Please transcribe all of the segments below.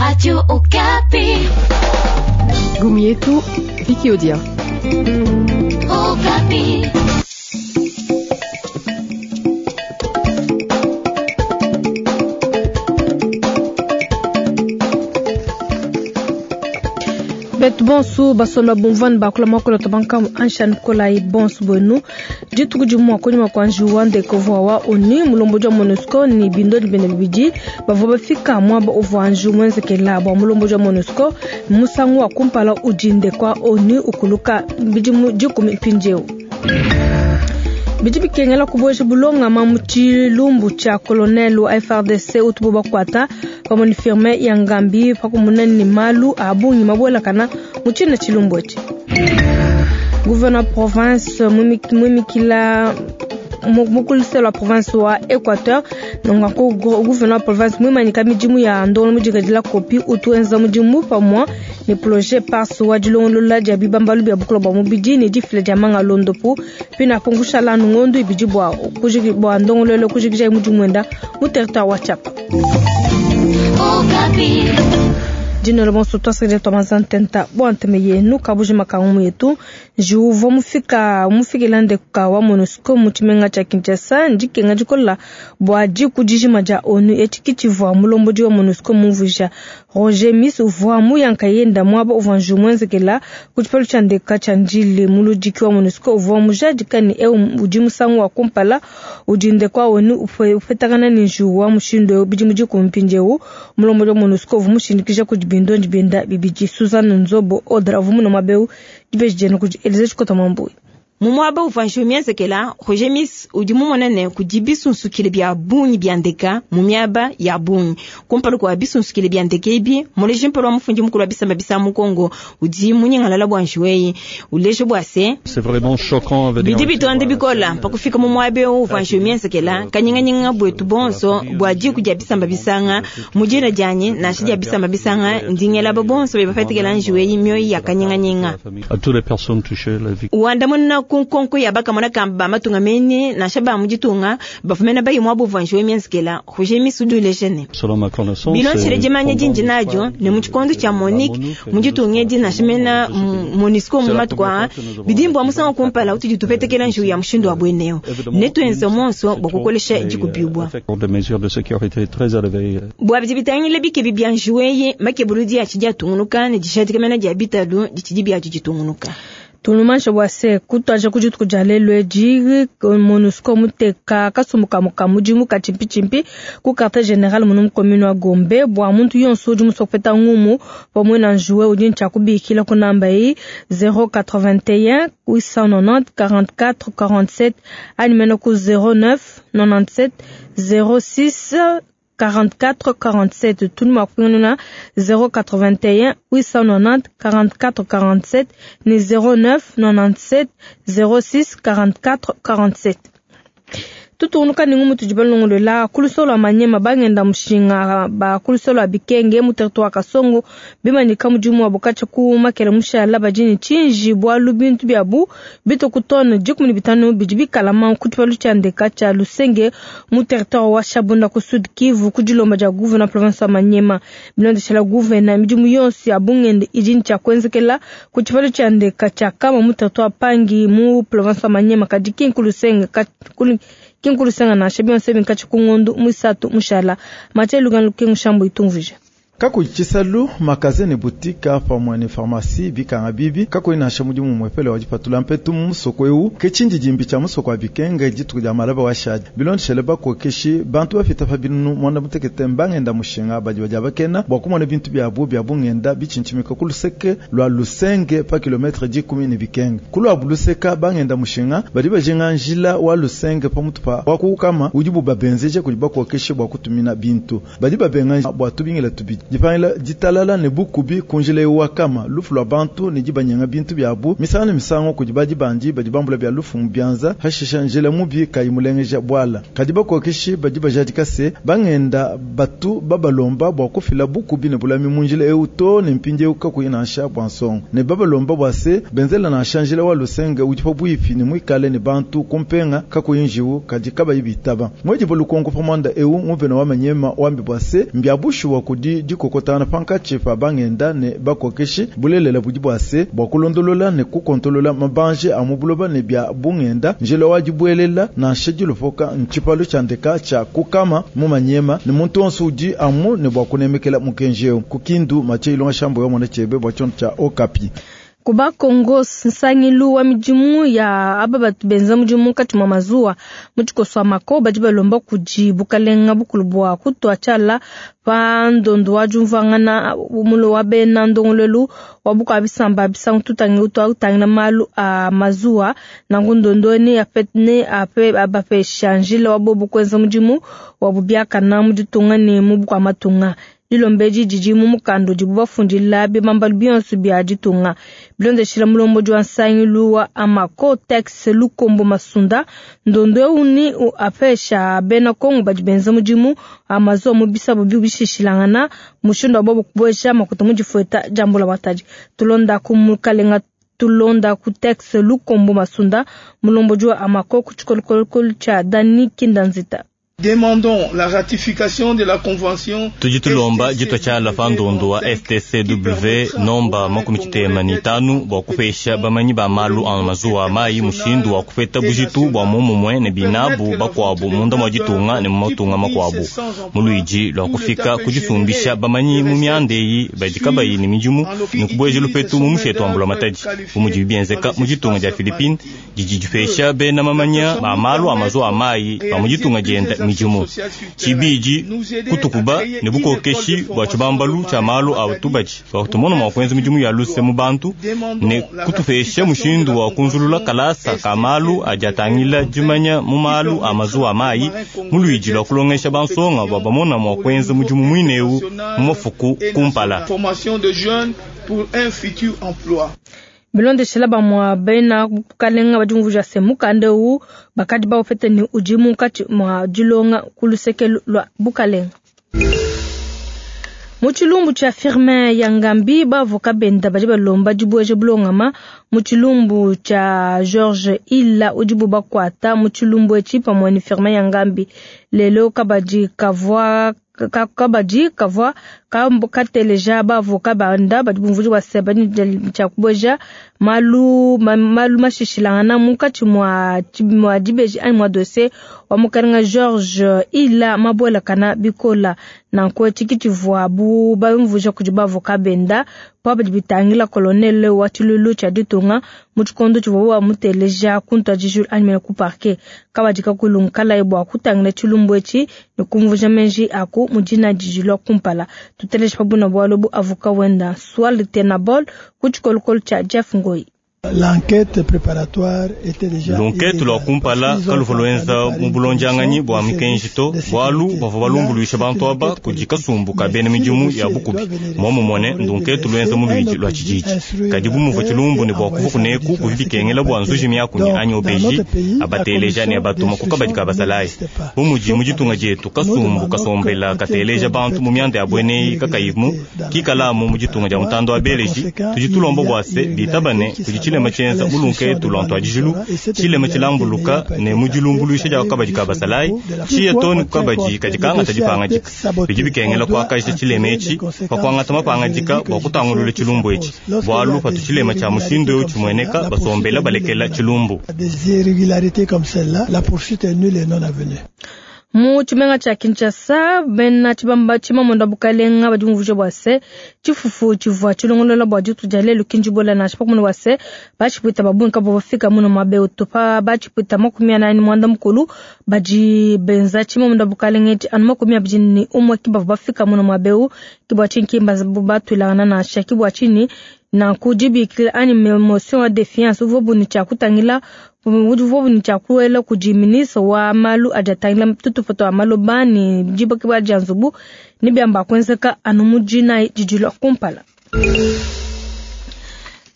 Radio Okapi. Ngumu yetu Vicky Odia. Okapi. Betu bonsu basomba bumvua ne bakula muakulu wa anshan kolayi bonsu buenu. Dituku dimua kunyima kua njiwu wa ndeke uvua wa ONU mulombodi wa MONUSCO ne bindodi biende bibidi bavua bafika muaba uvua njiwu muenzekela bua mulombodi wa MONUSCO musangu wa kumpala udi ndeke wa ONU ukuluka bidimu dikumi mpindieu. Bidi bikengela kubueja bulongama mu tshilumbu tshia colonel wa FARDC utubo bakuata pamue ne firme ya Ngambi pakumuna ne malu a bungi mabuelakana mu tshina tshilumbu etshi. Gouverneur province muimikila mukuluselo wa province wa Equateur nongaku gouverneur province muimanyika midimu ya ndongolo mudikadila kopi utu enza mudimu pamue ne projet PARS wa dilongolola dia bibambalu bia bukula bua mubidi ne difila dia manga londopu pina pungushala nungondu ibidi bua bua ndongololo kujikija mudimu wenda mu territoire wa Tshiapa. Dino bonso twasakidila twa ntenta bua nteme yenu kabujima ka ngumu yetu njiwu uvua mufika mufikila ndeka wa MONUSCO mu tshimenga tshia Kinshasa ndikenga dikola bua diku dijima dia ONU etshi kitshivua mulombodi wa MONUSCO mumvuija. Roger Miss uvua muyanka yenda muaba uvua njiwu muenzekela ku tshipalu tshia ndeka tshia Ndjili. Muludiki wa MONUSCO uvua mujadika ne eu udi musangu wa kumpala udi ndeka wa ONU upetakana ne njiwu wa mushindu eu bidimu dikumi mpindieu. Mulombodi wa MONUSCO uvua mushindikija kudi bindondi bienda bibidi Suzanne Nzobo Odra uvua muna muaba eu dibeji dienu kudi Elize Tshikota Mwambui. Mu muaba uvua njiwu mienzekela, Roger Miss udi mumone ne kudi bisunsukile bia bungi bia ndeka mu miaba ya bungi. Kumpala kua bisunsukile bia ndeka ebi, muleji mpala wa mufundi mukulu wa bisamba bisa mu Kongo udi munyingalala bua njiwu eyi, uleja bua se C'est vraiment choquant à venir bidi bitonda bikola pa kufika mu muaba eu uvua njiwu mienzekela, kanyinganyinga buetu bonso bua diku dia bisamba bisanga mu dina dianyi nansha dia bisamba bisanga ndi ngelaba bonso badi bapatikila njiwu eyi mioyo ya kanyinganyinga. À toutes les personnes touchées, la vie. Wandamuna ku nkonko ya bakamona kamba ba matunga mene nansha ba mu ditunga bafumena bayi muaba uvua njiwu mienzekela, Roger Miss udi uleja ne Selon ma connaissance, bilonshele dimanya dindi nadio ne mu tshikondo tshia Monique mu ditunga edi nansha mena MONUSCO mu matuku aa bidi mbua musangu kumpala utudi tupetekela njiwu ya mushindu wa bueneo ne tuenze monso bua kukolesha dikubibua. Des mesures de sécurité très élevées. Bua bidi bitangila bikebi bia njiwu eyi makebuludi atshidi atungunuka ne dijadika mena dia bitalu ditshidi biadio ditungunuka. Tulumansha bua se kutuaja ku dituku dia lelu edi MONUSCO muteka kasumbu kamue ka mudimu ka tshimpitshimpi ku quartier general munu mu commune wa Gombe bua muntu yonso udi musue kupeta ngumu pamue na njuwe udi ne tshia kubikila ku namba eyi 081 890 44 47 anyi mene ku 09 97 06 44 47. Tout le monde 081 890 44 47 ni 09 97 06 44 47. Tutungunuka ni ngumu tudi balongolola kulusolo lua Manyema bangenda mushinga ba kulusolo lua Bikenge mu territoire wa Kasongo bimanyika mudimu wabo katshia ku makele mushala badi ne tshinji bualu bintu biabu bitue ku tone 15 bidi bikalama ku tshipalu tshia ndeka tshia Lusenge mu territoire wa Shabunda ku Sud Kivu ku dilomba dia gouverneur province wa Manyema. Bilondeshela gouverneur midimu yonso ya bungende idi ne tshia kuenzekela ku tshipalu tshia ndeka tshia Kama mu territoire wa Pangi mu province wa Manyema kadi ki nkulusenge kinkulusenga nansha bionso ebi ku ngondu muisatu mushala Mathieu Lugano Lukengu Shambo itumvuija. Kakuyi tshisalu makaze ne butika pamue ne pharmacie bikanga bibi kakuyi nansha mudimu muepele wa dipatula mpetu mu musoko eu ke tshindidimbi tshia musoko wa Bikenge dituku dia malaba wa shadi bilondeshele bakokeshi bantu bafita pa binunu mwanda mutekete mbangenda mushinga badi badia bakena bua kumona bintu biabu bia bungenda bitshintshimika ku luseke lua Lusenge pa kilometre dikumi ne Bikenge. Ku luabu luseka bangenda mushinga badi bajinga njila wa Lusenge pa mutu pa wa kukama udibu babenzeje kudi bakokeshi bua kutumina bintu badi babenga bua tubingila tubidi dipangila ditalala ne bukubi kunjila eu wakama lufu lua bantu ne dibanyanga bintu biabu misango ne misango kudi badi bandi badi bambula bia lufu mu bianza hashisha njila mubi kayi mulengeja bwala kadi bakokeshi badi bajadika se bangenda batu babalomba bua kufila bukubi ne bulami mu njila eu to ne mpindi eu kakuyi nansha bua nsongo ne babalomba bua se benzela nansha njila wa Lusenge udi pabuipi ne muikale ne bantu kumpenga kakuyi njiwu kadi kabayi bitaba mwedi bolukonko pa mwanda eu nguvena wa Manyema wambi bua se mbiabushuwa kudi. dikokotana pankatshi pa bangenda ne bakokeshi. Bulelela budi bua se, bua kulondolola ne kukontolola mabanji a mu buloba ne bia bungenda, njila wa dibuelela nansha dilopoka ntshipalu tshia ndeka tshia kukama mu Maniema, ne muntu wonso udi amu ne bua kunemekela mukenji eu. Ku Kindu, Mathieu Ilonga Shambo wa mona tshiebe bua tshiondo tshia Okapi. Ku Bakongo, nsangilu wa midimu ya aba batu benza mudimu munkatshi mua mazuwa mu tshikoso wa mako badi balomba kudi bukalenga bukulu bua kutua tshiala pa ndondo wa diumvuangana mulo wa bena ndongoluelu wa bukua bisamba bisangu tutangi utua utangila malu a mazuwa. Nanku ndondo ne ape ne ape abapesha njila wa bobu kuenza mudimu wa bubiakana mu ditunga ne mu bukua matunga. Dilomba edi didi mu mukanda udibu bafundila bibambalu bionso bia ditunga. Bilondeshila mulombodi wa nsangilu wa Amako Tex Lukombo Masunda, ndondo eu ni apesha bena Kongo badi benza mudimu a mazuwa mu bisabo bishishilangana mushindu wa bobu kubueja makuta mu difueta dia mbulamatadi. Tulonda ku mukalenga tulonda ku Tex Lukombo Masunda, mulombodi wa Amako ku tshikolokolo tshia Dani Kindanzita. Demandons la ratification de la convention. Tudi tulomba ditua tshiala pa ndondo wa STCW nomba 55 bua kupesha bamanyi ba malu a mazuwa a mayi mushindu wa kupeta bujitu bua momumue ne binabu bakuabu munda mua ditunga ne mu matunga makuabu. Mu luidi lua kufika kudisumbisha bamanyi mu mianda eyi badi kabayi ne midimu ne kubueja lupetu mu mushetu wa mbulamatadi. Bu mudibi bienzeka mu ditunga dia Philippines didi dipesha bena mamanya ba malu a mazuwa a mayi ba mu ditunga dienda midimu. Tshibidi kutukuba ne bukokeshi bua tshibambalu tshia malu a tubadi bua tumona mua kuenza midimu ya luse mu bantu ne kutupesha mushindu wa kunzulula kalasa ka malu adi atangila dimanya mu malu a mazuwa a mayi mu luidi lua kulongesha bansonga bua bamona mua kuenza mudimu muine eu mu mafuku kumpala. Formation de jeunes pour un futur emploi. Bilondeshela bamua bena bukalenga badi bumvuija se mukanda eu bakadi baupete ne udi munkatshi mua dilonga ku luseke lua bukalenga. Mu tshilumbu tshia Firmin Yangambi, bavoka benda badi balomba dibueja bulongama mu tshilumbu tshia George Ila udibu bakuata mu tshilumbu etshi pamue ne Firmin Yangambi. Lelo kabadi kavua kabadi kavua kateleja bavoka banda badi bumvuija bua se badi tshia kubueja malu malu mashishilangana munkatshi mua dibeji anyi mua dossier wa mukalenga George Ila mabuelakana bikola. Nanku etshi tshivuabu bamvuija kudi bavoka benda pa badi bitangila colonel wa tshilulu tshia ditunga mu tshikondo tshivuabu bamuteleja ku ntuadijilu anyi mene ku parquet. Kabadi kakulungikalaye bua kutangila tshilumbu etshi ne kumvuija meji aku mu dina didi kumpala. Tuteleje pa buna bualu bu avoka wenda Swal Tenabol ku tshikolokolo tshia Jeff Ngoi. L'enquête préparatoire était déjà Lunkethu lua kumpala kaluvua luenza mu bulondianganyi bua mikenji to bualu bavua balumbuluisha bantu aba kudi kasumbu ka bena midimu ya bukubi. Muomumue ndunkethu luenza mu luidi lua tshididi. Kadi bu muvua tshilumbu ne bua kuva kuneku buvua bikengela bua nzuji miakunyi anyi obeji abateleja ne abatuma ku kabadi ka basalayi. Bu mudi mu ditunga dietu kasumbu kasombela kateleja bantu mu mianda ya bueneyi kakayimu kikalamu mu ditunga dia mutanda wa beleji tudi tulomba bua se bitabane kudi tshilema tshienza mu lunkethu lua ntuadijilu tshilema tshilambuluka ne mu dilumbuluisha dia kabadi ka basalayi tshiya too ne ku kabadi kadi kangata dipangadika. Bidi bikengela kuakaja tshilema etshi pa kuangata mapangadika bua kutangulula tshilumbu etshi bualu patu tshilema tshia mushindu eu tshimueneka basombela balekela tshilumbu. Des irrégularités comme celle-là, la poursuite est nulle et non avenue. Mu tshimenga tshia Kinshasa, bena tshibamba tshimamonda bukalenga badi bumvuija bua se tshifufu tshivua tshilongolola bua ditu dia lelu kindibola nansha pakumona bua se batshipwita ba bungi kabavua bafika muno muaba eu to. Pa batshipwita 45 badi benza tshimamonda bukalenga etshi anu 21 ki bavua bafika muno muaba eu. Ki bua tshinyi ki batuilangana nansha ki bua tshinyi nanku dibikila anyi motion ya defiance uvua buni tshia kutangila uvua buni tshia kuela kudi ministre wa malu adi atangila tutupa tua maloba ne dibakibua dia nzubu ne biamba kuenzeka anu mu dinayi didi lua kumpala.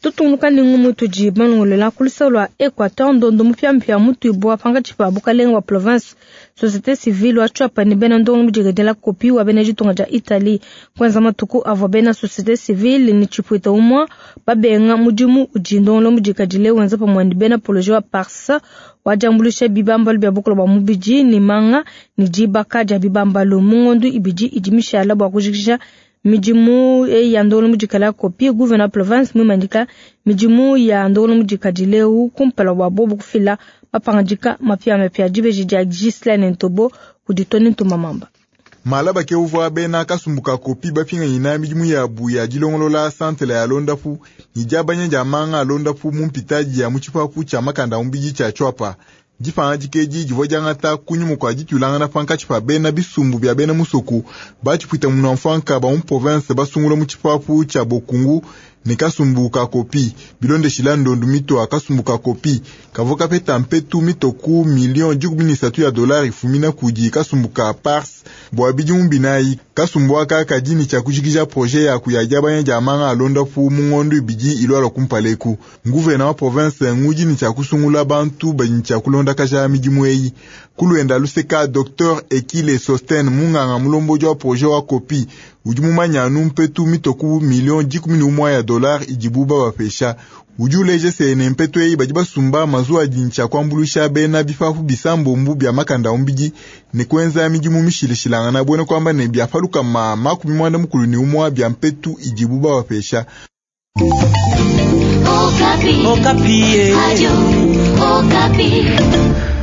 Tutungunuka ne ngumu tudi balongolola ku luseke lua Equateur ndondo mupiamupia mutuibua pankatshi pa bukalenga wa province société civile wa Tshuapa ne bena ndongo mudikedela kopi wa bena ditunga dia Italie. Kuenza matuku avua bena société civile ne tshipwita umua babenga mudimu udi ndongolo mudikadile wenza pamue ne bena projet wa Parsa wa diambuluisha bibambalu bia bukula bua mubidi ne manga ne dibaka dia bibambalu mu ngondu ibidi idi mishala bua kujikija Midimu eyi ya ndongoluelu mudikala kopi gouverneur province muimanyika midimu ya ndongoluelu mudikadile eu kumpala bua bobu kufila mapangadika mapiamapia. Dibeji dia Ghislaine Ntobo kudi Tony Ntumba Mamba. Malaba ke uvua bena kasumbu ka kopi bapinganyina midimu yabu ya dilongolola santela ya londapu ne diabanya dia manga a londapu mu mpitadi ya mu tshipapu tshia makanda a mubidi tshia Tshuapa. Dipangadika edi divua diangata kunyima kua dituilangana pankatshi pa bena bisumbu bia bena musoko ba tshipuita munua-mfuanka ba mu province basungula mu tshipapu tshia Bokungu ne kasumbu ka kopi. Bilondeshila ndondu mitua kasumbu ka kopi kavua kapeta mpetu mitoku million 13 ya dolari ifumina kudi kasumbu ka Pars bua bidimu binayi. Kasumbu aka kadi ne tshia kujikija projet ya kuya diabanya dia manga a londapu mu ngondo ibidi ilualua kumpala eku. Nguvena wa province ngudi ne tshia kusungula bantu badi ne tshia kulondakaja midimu eyi. Kuluenda luseka Dr Ekile Sosten munganga mulombodi wa projet wa kopi udi mumanya anu mpetu mitoku million 11 ya dolari idibu babapesha. Udi uleja se ne mpetu eyi badi basumba mazuwa adi ne tshia kuambuluisha bena bipapu bisambombu bia makanda a mubidi ne kuenza midimu mishilashilangana buena kuamba ne bia palukama 91 bia mpetu idibu babapesha. Okapi. Okapi. Radio Okapi.